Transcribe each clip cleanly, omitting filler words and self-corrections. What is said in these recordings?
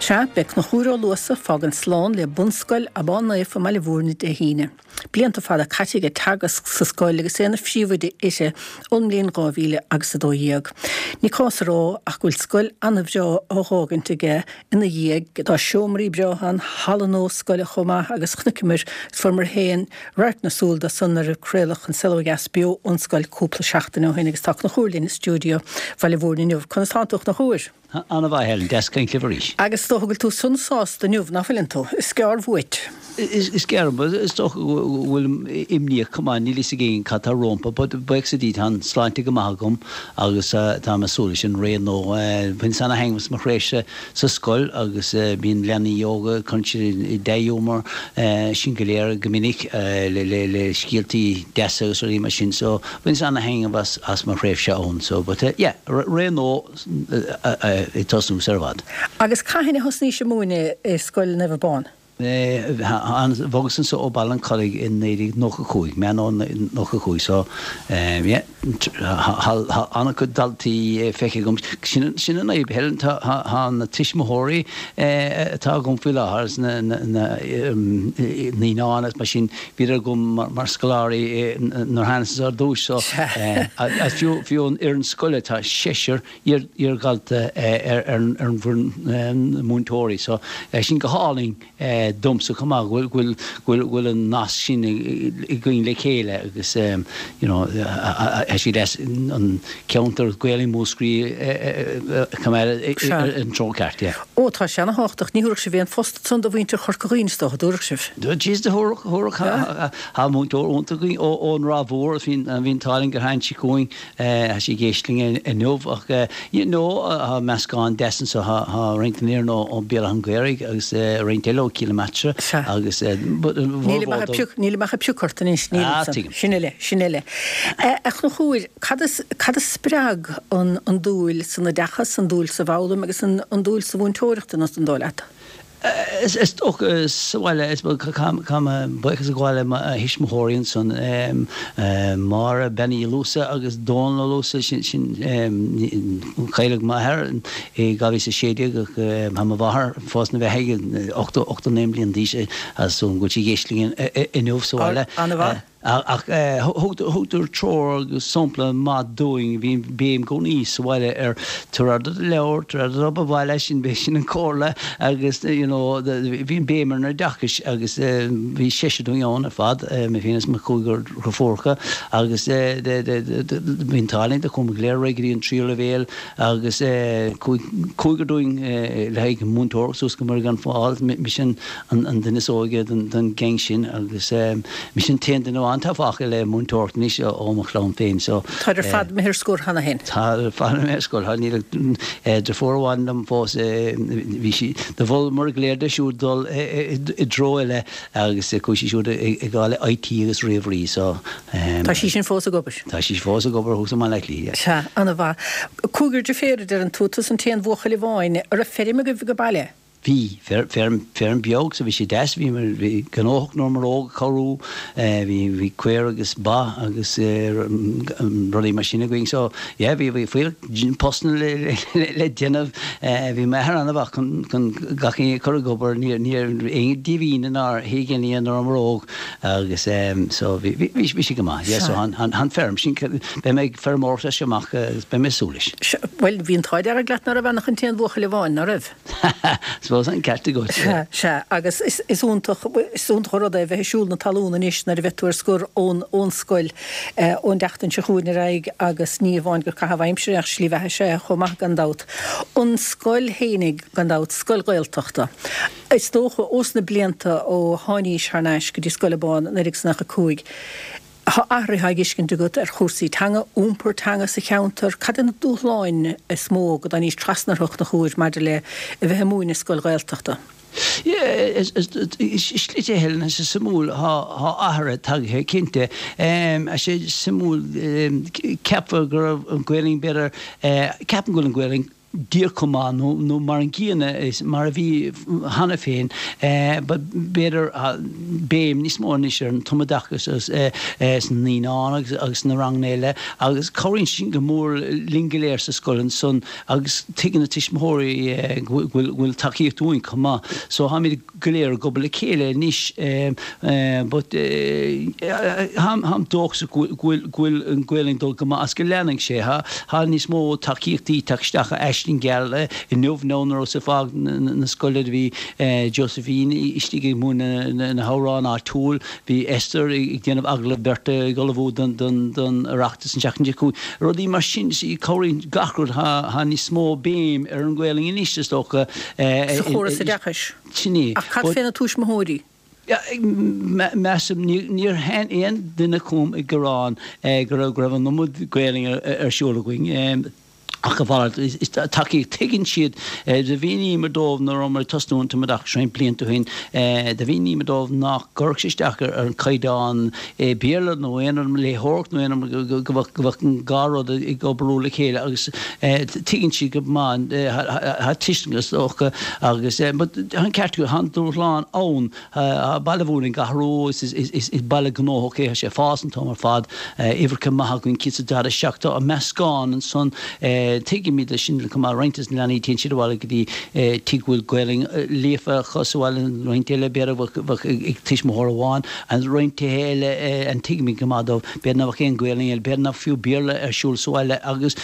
Sea, beidh Conchúr Ó Luasa ag fágaint slán le Bunscoil Abán Naofa i mBaile Mhúirne Dé hAoine. Blianta fada caite aige ag teagasc sa scoil agus é ina phríomhoide uirthi ón mbliain 2000 agus 12. Ní cás a rá ach go bhfuil scoil ana-bhreá á dh'fhágaint aige ina dhiaidh. Tá seomraí breátha ann, halla nua scoile chomh maith agus chonaiceamar is fuaireamar féin radharc na súl dó san nuair a craoladh An Saol Ó Dheas beo ón scoil cúpla seachtain ó shin agus tá Conchúr linn i stiúideo Bhaile Mhúirne inniu. Conas tánn tú a Chonchúir? Ana-mhaith, Helen. Deas caint libh arís. Agus is dócha go bhfuil tú sona sásta inniu, nach bhfuileann tú? Is gearr uait. Is gearr, is dócha go bhfuilim imníoch chomh maith, níl fhios ag éinne cad tá rompu, but buíochas le Dia tá an sláinte go maith agam agus táim ag súil leis an ré nua. Bhaineas ana-thaitneamh as mo thréimhse sa scoil agus bíonn leanaí óga, cuireann siad i dea-ghiúmar sinn go léir go minic le scéaltaí deasa agus rudaí mar sin so bhaineas ana-thaitneamh as mo thréimhse ann so but yeah, ré nua. ag tosnú sar i bhfad. Agus cathain a thosnaís ag múineadh i Scoil Naomh Abán? Bhogas anso ó Baile an Chollaigh i 1995, Meán Fhómhair 95, so yeah, tá an-chuid daltaí feicthe agam. Sin an fhadhb, Helen, tá na tuismitheoirí atá agam faoi láthair, na naíonáin agus mar sin, bhíodar agam mar scoláirí nuair a thánas anso ar dtúis so fiú fiú an fhoireann scoile tá seisear iar-dhalta ar an bhfoireann múinteoirí so sin go hálainn domsa chomh maith go bhfuil go bhfuil an nasc sin againn le chéile agus you know tá sé deas an ceantar Gaelainn Mhúscraí a choimeád ar an treo ceart yeah. Ó tá sé ana-thábhachtach. Ní thabharfadh sibh aon phost ansan do mhuintir Chorca Dhuibhne is dócha, dtabharfadh sibh? Jeez, do thabharfadh, thabharfadh. Tá múinteoir iontach againn ón Ráth Mhór, bhí an t-ádh linn gur tháinig sí chugainn, tá sí ag éisteacht linn inniu ach you know tá meascán deas anso, tá roinnt den fhoireann ó Béal Átha an Ghaorthaidh agus roinnt eile ó Cill na Martra agus but an Nílim ach ag pioc, nílim ach ag piocadh ort anois, níl Ah, ansan. tuigim. Sin uile, sin uile. A Chonchúir, cad a, cad a spreag an, an dúil san oideachas, an dúil sa bhfoghlaim agus an, an dúil sa mhúinteoireacht, an dóigh leat? Is dócha sa bhaile, is caithfidh mé buíochas a ghabháil le mo thuismitheoirí ansan, Máire Bean Uí Luasa agus Dónal Ó Luasa, sin, cailleadh m'athair i 2016 ach tá mo mháthair fós ina beathaidh, 89 bliain d'aois, is dóigh liom go bhfuil sí ag éisteacht linn inniu sa bhaile. An-mhaith. Ach thugadar treoir agus sampla maith dúinn. Bhí béim i gcónaí sa bhaile ar tabhair aire do do leabhar, tabhair aire do d'obair bhaile, sin, b'shin an comhairle agus you know bhí an béim ar an oideachais agus bhí seisear dúinn ann ar fad, mé féin is mo chúigear deirfiúracha agus bhí an t-ádh linn do chuamar go léir ar aghaidh go dtí an tríú leibhéal agus cúigear dúinn le haghaidh múinteoireacht suas go Muire gan Smál, mise an duine is óige den gang sin agus mise an t-aon duine amháin atá fágtha le múinteoireacht anois ó mo chlann féin so. Táid ar fad imithe ar scor cheana féin. Tá ar fad imithe ar scor, tá, níl ach deirfiúr amháin liom fós, bhí sí, do mholamar go léir di siúd dul i dtreo eile agus chuaigh sí siúd ag gabháil le IT agus ríomhairí so. Tá sí sin fós ag obair? Tá sí fós ag obair thuas i mBaile Átha Cliath, yeah. Sea, ana-mhaith. Cúigear deirféar a deireann tú, tusa an t-aon bhuachaill amháin. An raibh feirm agaibh ag baile? Bhí. Feirm, feirm beag so bhí sé deas, bhí, bhí gnóthach nuair rabhamar óg ag cabhrú, bhí, bhí caora agus ba agus rudaí mar sin againn so yeah bhí, bhí fuíoll postanna le, le, le déanamh. Bhí m'athair an-mhaith chun, chun gach éinne a chur ag obair, ní, ní raibh éinne díomhaoin ná héigeannaí nuair rabhamar óg agus so bhí, bhí, bhí sé go maith. Yeah so an, an, an feirm sin, beidh mé ag feirmeoireacht as seo amach agus beidh mé ag súil leis. Bhuel bhí an t-ádh dearg leat ná raibh ann ach an t-aon bhuachaill amháin, ná raibh? Suppose an ceart agat. Sea, sea, agus is iontach, is iontach an rud é a bheith ag siúl na talún anois nuair a bheidh tú ar scor ón, ón scoil, ón tseachtain seo chugainn ar aghaidh agus ní amháin gur caitheamh aimsire ach slí bheatha is ea é chomh maith gan dabht. An scoil fhéinig gan dabht, scoil Ghaeltachta. Is dócha, ós na blianta ó tháinís thar n-ais go dtí Scoil Abán 1995, Tá athruithe á bhfeiscint agat ar chúrsaí teanga, iompar teanga sa cheantar. Cad é na dúshláin is mó go dtáinís trasna orthu a Chonchúir maidir le a bheith ag múineadh i scoil Ghaeltachta? Slite Helen, tá sé suimiúil, tá athruithe tagtha cinnte. Tá sé suimiúil, ceapfá go raibh an Ghaelainn b'fhéidir, ceapaim go bhfuil an Ghaelainn. díreach chomh maith nó mar an gcéanna is mar a bhí cheana féin but b'fhéidir béim níos mó anois ar an tumoideachas sna naíonáin agus sna ranganna eile agus cabhraíonn sin go mór linn go léir sa scoil ansan agus tuigeann na tuismitheoirí go bhfuil tacaíocht uainn chomh maith so táimid go léir ag obair le chéile anois but táim dóchasach go bhfuil an Ghaelainn ag dul go maith agus go leanfaidh sé. Tá níos mó tacaíochtaí ag teacht isteach ó Aisling Gheal inniu nó nuair a rabhas ag fágáil na scoile do bhí Josephine istigh ag múineadh na hamhráin áitiúil, bhí Esther ag déanamh agallamh beirte ag ullmhú don Oireachtas an tseachtain seo chugainn. Rudaí mar sin, cabhraíonn gach rud, tá níos mó béim ar an Ghaelainn anois is dócha. Sa chóras oideachais. Sin é. Ach cad fé na tuismitheoirí? Measaim, níor tháinig aon duine chugam ag gearán go raibh an iomad Gaelainne ar siúl againn. Ach a mhalairt, is tacaíocht, tuigeann siad. Do mhíníomar dóibh nuair a rabhamar ag tosnú an tumoideachas roinnt blianta ó shin, do mhíníomar dóibh nach gcuirfeadh sé isteach ar an chaighdeán Béarla nó aon rud, léitheoireacht nó aon rud, go mbeadh an dhá rud ag oibriú le chéile agus tuigeann siad go maith, tá tuiscint is dócha agus but tá an ceart agat, tá an dúshlán ann. Tá Baile Mhúirne ag athrú, is baile gnóthach é, tá sé ag fás an t-am ar fad, uimhreacha maithe againn, 147, tá meascán ansan, tuigimid é sin chomh maith, roinnt des na leanaí téann siad abhaile go dtí tigh go bhfuil Gaelainn líofa acu sa bhaile, roinnt eile b'fhéidir bheadh ag tuismitheoir amháin, and roinnt tithe eile and tuigimid go maith dóibh, b'fhéidir nach bheadh aon Ghaelainn eile, b'fhéidir nach fiú Béarla ar siúl sa bhaile agus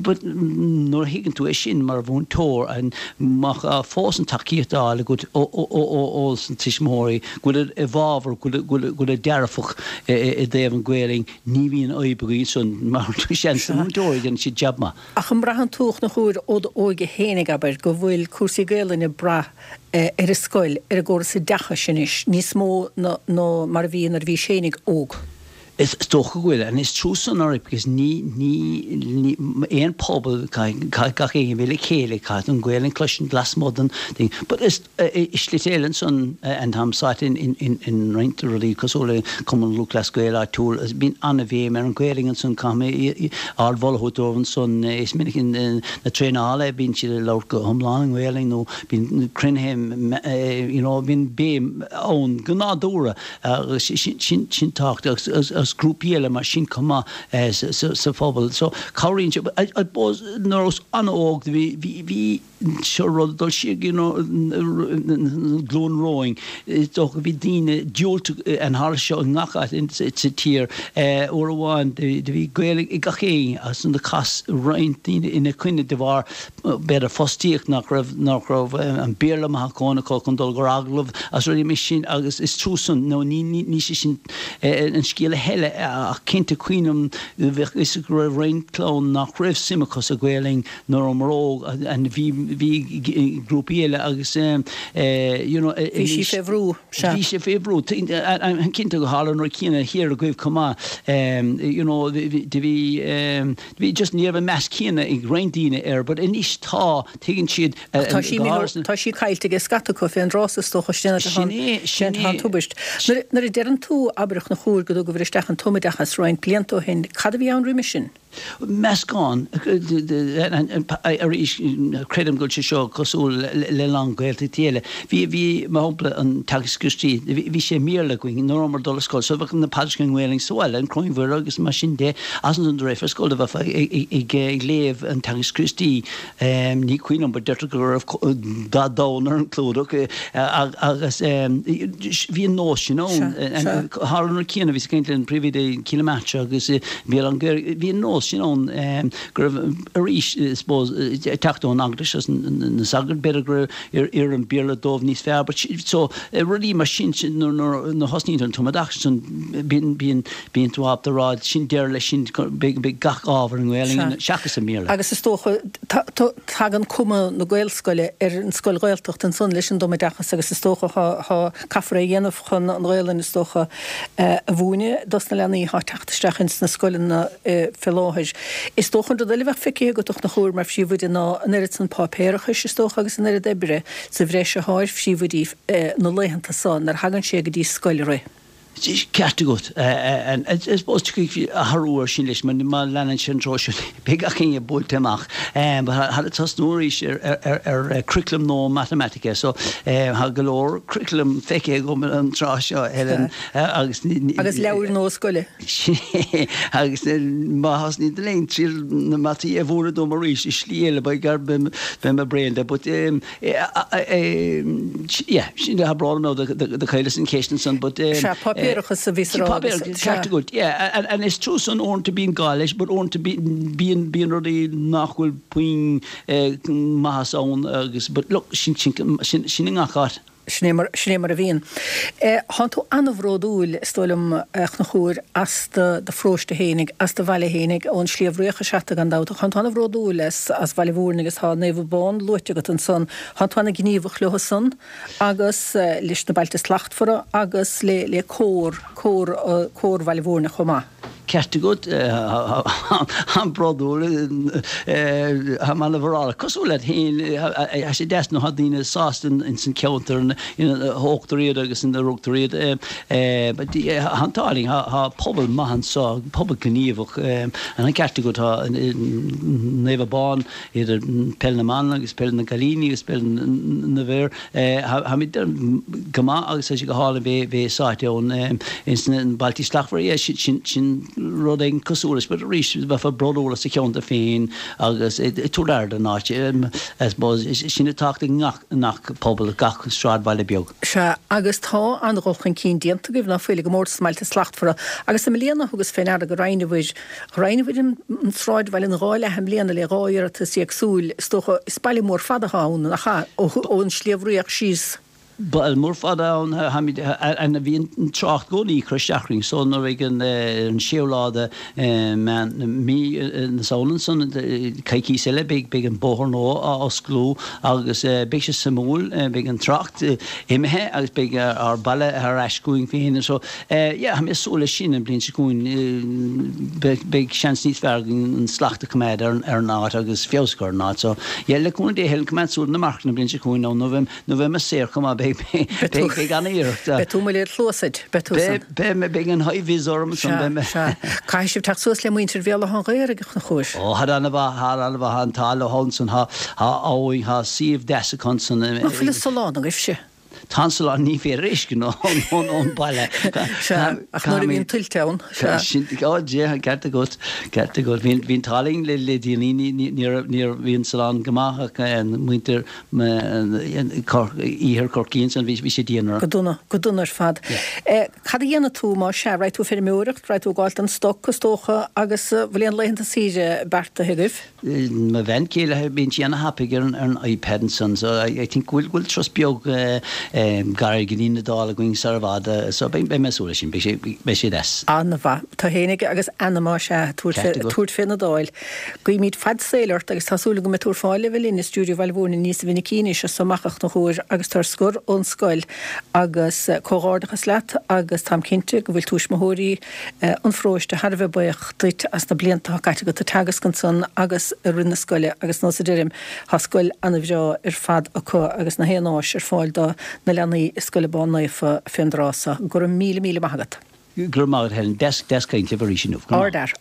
but nuair a thuigeann tú é sin mar mhúinteoir and Má tá fós an tacaíocht á fháil agat ó sna tuismitheoirí, go bhfuil i bhfabhar, go bhfuil dearfach i dtaobh an Ghaelainn, ní bhíonn fadhb againn ansan mar seans na múinteoirí, déanann siad jab maith. Ach an mbraitheann tú, a Chonchúir, ó d'óige fhéinig, abair, go bhfuil cúrsaí Gaelainne ag brath ar an scoil, ar an gcóras oideachais anois, níos mó ná mar a bhí nuair a bhís fhéinig óg? Is dócha go bhfuil, and is trua san oraibh because ní, ní, ní, aon pobal, caithfidh gach éinne bheith le chéile, caithfidh an Ghaelainn cloisint lasmuigh den thing. But is, i slite eile ansan, and táim sáite in, in, in, in roinnt rudaí cosúil le Cumann Lúthchleas Gael áitiúil, bíonn an-bhéim ar an Ghaelainn ansan, caithfidh mé ardmholadh a thabhairt dóibh ansan, is minic in, na traenála bíonn siad ag labhairt go hiomlán i nGaelainn nó bíonn cruinnithe, you know, bíonn béim ann go nádúrtha. Agus sin tábhachtach agus grúpaí eile mar sin chomh maith sa phobal. So cabhraíonn sé. I suppose nuair a rabhas an-óg bhí bhí seo rud ag dul siar you know glúin romhainn. Is dócha bhí daoine diúltach and tharla seo i ngach áit sa tír. Uair amháin do bhí Gaeilge ag gach éinne agus do chas roinnt daoine ina coinne de bharr b'fhéidir fostaíocht nach raibh, nach raibh an Béarla maith acu acu chun dul ar agallamh agus rudaí mar sin agus is trua san, nó ní, ní, ní sé sin an scéal a thuilleadh ach cinnte cuimhním bheadh fhios go raibh roinnt clann nach raibh suim acu sa Ghaelainn nuair a rabhamar óg and bhí, bhí grúpaí eile agus you know Bhí sí fé bhrú, sea. Bhí sé fé bhrú. Cinnte go tharla an rud céanna thiar agaibh chomh maith you know do bhí, Bhí just ní raibh an meas céanna ag roinnt daoine air but anois tá, tuigeann siad Ach tá sí, tá sí caillte ag scata acu fén dtráth is dócha, sin é, sin é an tubaist. Nuair a deireann tú, abair, a Chonchúir, go dtugabhair isteach an tumoideachas roinnt blianta ó shin, cad a bhí ann roimhe sin? Meascán. Arís, creidim go bhfuil sé seo cosúil le a lán Gaeltachtaí eile. Bhí, bhí, mar shampla, an Teagasc Críostaí, bhí sé i mBéarla againn nuair a rabhamar ag dul ar scoil, so bheadh na paidreacha i nGaelainn sa bhaile, an Choróin Mhuire agus mar sin de, agus ansan de réir ar scoil do bheifeá ag léamh an Teagasc Críostaí, ní cuimhin liom but deirtear go raibh dath donn ar an chlúdach agus bhí an nós sin ann. Tharla an rud céanna, bhíos ag caint le an príomhoide Cill na Martra agus bhí an bhí an nós sin ann go raibh arís, I suppose, ag teacht ón eaglais agus na sagairt, b'fhéidir go raibh oir an Béarla dóibh níos fearr but so rudaí mar sin nuair a thosnaíonn tú an tumoideachas ansan bíonn bíonn bíonn tú ábalta a rá sin deireadh leis sin beidh beidh gach ábhar i nGaelainn seachas i mBéarla. Agus is dócha tagann cuma na Gaelscoile ar an scoil Ghaeltachta ansan leis an dtumoideachas agus is dócha thá thá caithfear é a dhéanamh chun an Ghaelainn is dócha a mhúineadh dos na leanaí thá ag teacht isteach ins na scoileanna fé láthair. Is dócha an rud eile a bheadh feicthe agat a Chonchúir mar phríomhoide ná an oiread san páipéarachais is dócha agus an oiread oibre sa bhreis athá ar phríomhoidí na laethanta so nuair a thagann sé go dtí scoil a rith. Ceart agat. I suppose tiocfaidh athrú ar sin leis má leanann sé an treo sin beidh gach éinne buailte amach. But táthar ag tosnú arís ar curriculum nua matamaitice so tá go leor curriculum feicthe agam an tráth seo Helen agus Agus leabhair nua scoile. Sin é agus má thosnaíonn tú linn triail na mataí a mhúineadh dom arís i slí eile beidh beidh mé bréan de but Yeah, sin tá brón orm do chailleas an cheist ansan but. Sea, páipéarachas a bhíos a rá agus. Páipéarachas, ceart agat, yeah, and is true san uaireanta bíonn gá leis but uaireanta bíonn, bíonn rudaí nach bhfuil puinn maitheas ann agus but look, sin, sin, sin, sin i ngach áit. Sin é mar, sin é mar a bhíonn. Tánn tú an-bhródúil, is dóigh liom, a Chonchúir, as do, do pharóiste fhéinig, as do bhaile fhéinig, ón Sliabh Riach is ea tú gan dabht, ach tánn tú an-bhródúil as, as Baile Mhúirne agus tá Naomh Abán luaite agat ansan. Tánn tú an-ghníomhach leo san agus leis na Bailte Slachtmhara agus le, le cór, cór, cór Bhaile Mhúirne chomh maith. Ceart agat, táim bródúil, táim an-mhórálach. Cosúil leat féin, tá sé deas nuair atá daoine sásta ins an cheantar ina thógtar iad agus ina rugtar iad. Tá an t-ádh linn, tá pobal maith anseo, pobal gníomhach. An ceart agat, tá Naomh Abán, idir peil na mban agus peil na gcailíní agus peil na bhfear. Táimid go maith agus tá sé go hálainn bheith bheith sáite ann ins na Bailtí Slachtmhara. Yeah, sin sin rud éigin cosúil leis, but arís bheifeá bródúil as do cheantar féin agus ag tabhairt aire don áit. I suppose sin atá i ngach ngach pobal, gach sráidbhaile beag. Sea, agus tá an-dhul chun cinn déanta agaibh, ná fuil, i gcomórtas na mBailte Slachtmhara. Agus i mbliana thugas fé ndeara go roinneabhair Roinneabhair an sráidbhaile ina dhá leath i mbliana le 2 iarratas éagsúil. Is dócha, is baile mór fada atá ann, nach ea? Ón Sliabh Riach síos. Baile mór fada ann, táimid, and bhí an trácht i gcónaí ag cur isteach orainn so nuair a bheidh an séú lá de Mheán, mí na Samhna ansan, coicíos eile, beidh, beidh an bóthar nua á osclú agus beidh sé suimiúil, beidh an trácht imithe agus beidh ár baile ar ais chugainn féin so Yeah, tá mé ag súil leis sin an bhliain seo chugainn. Beidh seans níos fearr againn an slacht a choimeád ar an áit agus feabhas a chur ar an áit. So, yeah, le cúnamh Dé, Helen, coimeád súil ar na marcanna an bhliain seo chugainn nó nuair a bheidh mé saor chomh maith, beidh, beidh an-iarracht. Beidh tú amuigh le cluas a'd, beidh tú san. Beidh, beidh, beidh an high vis orm ansan, beidh mé. Sea, sea. Caithfidh sibh teacht suas le muintir Bhéal Átha an Ghaorthaidh, a Chonchúir. Ó, thar an-mhaith, thar an-mhaith, an t-ádh leo ansan, tá abhainn, tá suíomh deas acu ansan. Nach bhfuil an salán agaibhse? Tá an salán, ní féidir é a fheiscint ón baile. Sea, ach nuair a bhíonn tuilte ann, sea. Sin, ó Dhia, ceart agat, ceart agat. Bhí an t-ádh linn le déanaí, ní raibh, ní raibh, bhí an salán go maith ach muintir iarthar Chorcaí ansan, bhí sé dian orthu. Go dona, go dona ar fad. Cad a dhéanfaidh tú más ea? Raghaidh tú ag feirmeoireacht, raghaidh tú ag gabháil don stoc, is dócha, agus bhfuil aon laethanta saoire beartaithe agaibh? Mo bhean chéile, bíonn sí ana-thapaidh ar an iPad ansan so I think go bhfuil go bhfuil turas beag gairid go dtí an Iodáil againn sar i bhfad so beidh mé ag súil leis sin, beidh sé beidh sé deas. An-mhaith. Tú fhéinig agus Anna más ea, tabhairt tabhairt fén Iodáil. Guímid fad saoil ort agus tá súil agam go mbeidh tú ar fáil le bheith linn i stiúideo Bhaile Mhúirne níos mhinicí anois as so amach a Chonchúir agus tú ar scor ón scoil agus comhghairdeachas leat agus táim cinnte go bhfuil tuismitheoirí an pharóiste thar a bheith buíoch duit as na blianta atá caite agat ag teagasc ansan agus i rith na scoile agus nós a deirim, tá scoil ana-bhreá ar fad acu agus na haon áis ar fáil do na leanaí i Scoil Abán Naofa fén dtráth so. Go raibh míle míle maith agat. Go raibh maith agat Helen. Deas caint libh arís inniu. Go raibh maith. Ard-fhear.